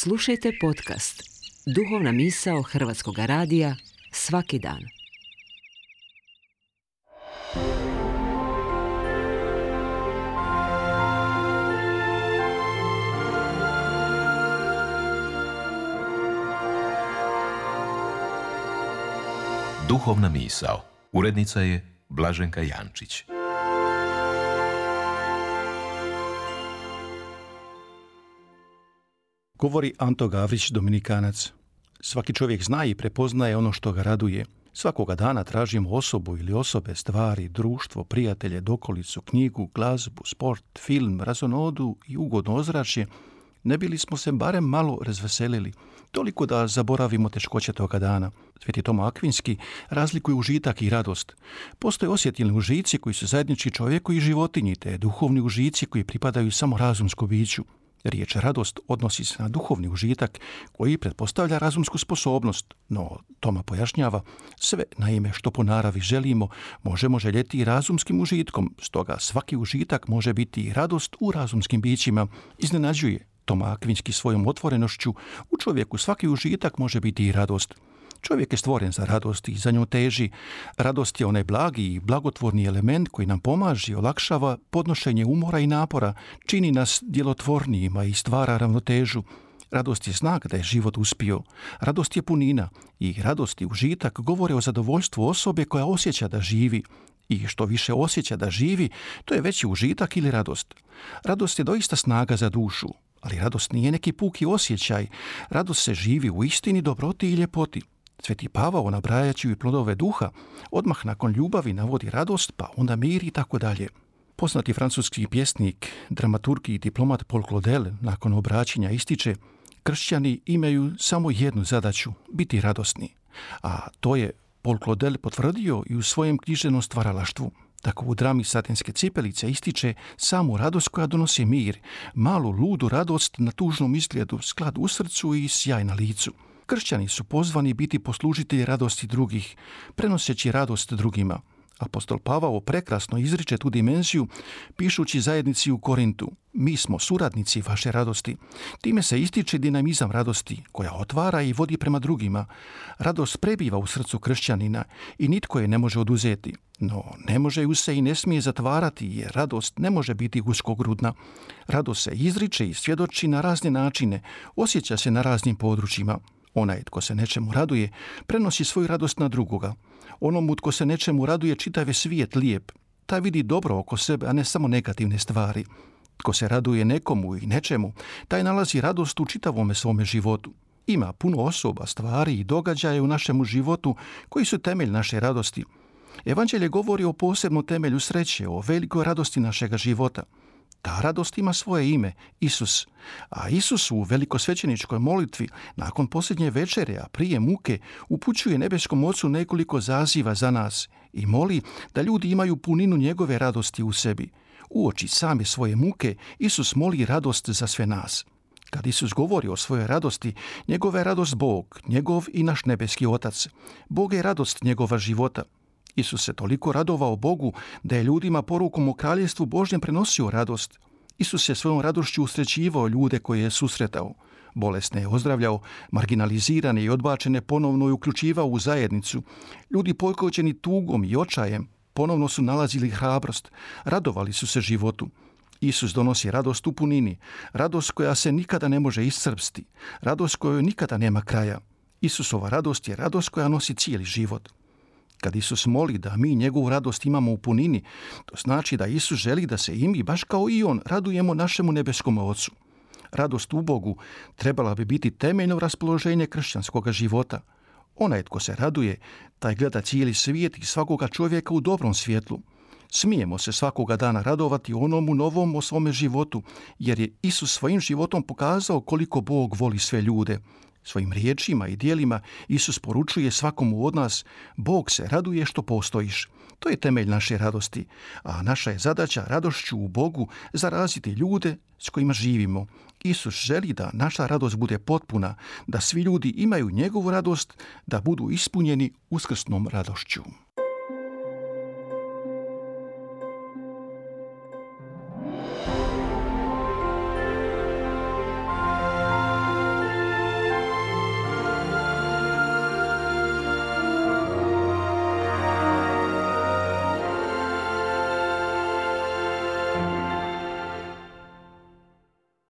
Slušajte podcast Duhovna misao Hrvatskog radija svaki dan. Duhovna misao. Urednica je Blaženka Jančić. Govori Anto Gavrić, Dominikanac. Svaki čovjek zna i prepoznaje ono što ga raduje. Svakoga dana tražimo osobu ili osobe, stvari, društvo, prijatelje, dokolicu, knjigu, glazbu, sport, film, razonodu i ugodno ozračje, ne bili smo se barem malo razveselili, toliko da zaboravimo teškoće toga dana. Sveti Toma Akvinski razlikuje užitak i radost. Postoje osjetilni užici koji su zajednički čovjeku i životinji, te duhovni užici koji pripadaju samo razumskom biću. Riječ radost odnosi se na duhovni užitak koji pretpostavlja razumsku sposobnost, no Toma pojašnjava, sve naime što po naravi želimo možemo željeti i razumskim užitkom, stoga svaki užitak može biti i radost u razumskim bićima. Iznenađuje Toma Akvinski svojom otvorenošću, u čovjeku svaki užitak može biti i radost. Čovjek je stvoren za radost i za nju teži. Radost je onaj blagi i blagotvorni element koji nam pomaže i olakšava podnošenje umora i napora, čini nas djelotvornijima i stvara ravnotežu. Radost je znak da je život uspio. Radost je punina i radost i užitak govore o zadovoljstvu osobe koja osjeća da živi. I što više osjeća da živi, to je veći užitak ili radost. Radost je doista snaga za dušu, ali radost nije neki puki osjećaj. Radost se živi u istini, dobroti i ljepoti. Sveti Pavao, nabrajajući i plodove duha, odmah nakon ljubavi navodi radost, pa onda mir i tako dalje. Poznati francuski pjesnik, dramaturg i diplomat Paul Claudel nakon obraćanja ističe: kršćani imaju samo jednu zadaću, biti radosni. A to je Paul Claudel potvrdio i u svojem književnom stvaralaštvu. Tako u drami Satinske cipelice ističe samu radost koja donosi mir, malu ludu radost na tužnom izgledu, sklad u srcu i sjaj na licu. Kršćani su pozvani biti poslužitelji radosti drugih, prenoseći radost drugima. Apostol Pavao prekrasno izriče tu dimenziju pišući zajednici u Korintu: mi smo suradnici vaše radosti. Time se ističe dinamizam radosti koja otvara i vodi prema drugima. Radost prebiva u srcu kršćanina i nitko je ne može oduzeti. No ne može ju se i ne smije zatvarati jer radost ne može biti uskogrudna. Radost se izriče i svjedoči na razne načine, osjeća se na raznim područjima. Onaj tko se nečemu raduje, prenosi svoju radost na drugoga. Onomu tko se nečemu raduje, čitav je svijet lijep. Taj vidi dobro oko sebe, a ne samo negativne stvari. Tko se raduje nekomu i nečemu, taj nalazi radost u čitavome svome životu. Ima puno osoba, stvari i događaja u našemu životu koji su temelj naše radosti. Evanđelje govori o posebnom temelju sreće, o velikoj radosti našega života. Ta radost ima svoje ime, Isus. A Isus u velikosvećeničkoj molitvi, nakon posljednje večere, a prije muke, upućuje nebeskom Ocu nekoliko zaziva za nas i moli da ljudi imaju puninu njegove radosti u sebi. Uoči same svoje muke, Isus moli radost za sve nas. Kad Isus govori o svojoj radosti, njegova je radost Bog, njegov i naš nebeski Otac. Bog je radost njegova života. Isus se toliko radovao Bogu da je ljudima porukom o kraljevstvu Božjem prenosio radost. Isus je svojom radošću usrećivao ljude koje je susretao. Bolesne je ozdravljao, marginalizirane i odbačene ponovno je uključivao u zajednicu. Ljudi pokođeni tugom i očajem ponovno su nalazili hrabrost, radovali su se životu. Isus donosi radost u punini, radost koja se nikada ne može iscrpsti, radost kojoj nikada nema kraja. Isusova radost je radost koja nosi cijeli život. Kad Isus moli da mi njegovu radost imamo u punini, to znači da Isus želi da se i mi, baš kao i on, radujemo našemu nebeskom Ocu. Radost u Bogu trebala bi biti temeljno raspoloženje kršćanskog života. Onaj tko se raduje, taj gleda cijeli svijet i svakoga čovjeka u dobrom svjetlu. Smijemo se svakoga dana radovati onomu novom o svome životu, jer je Isus svojim životom pokazao koliko Bog voli sve ljude. Svojim riječima i djelima Isus poručuje svakomu od nas: Bog se raduje što postojiš. To je temelj naše radosti, a naša je zadaća radošću u Bogu zaraziti ljude s kojima živimo. Isus želi da naša radost bude potpuna, da svi ljudi imaju njegovu radost, da budu ispunjeni uskrsnom radošću.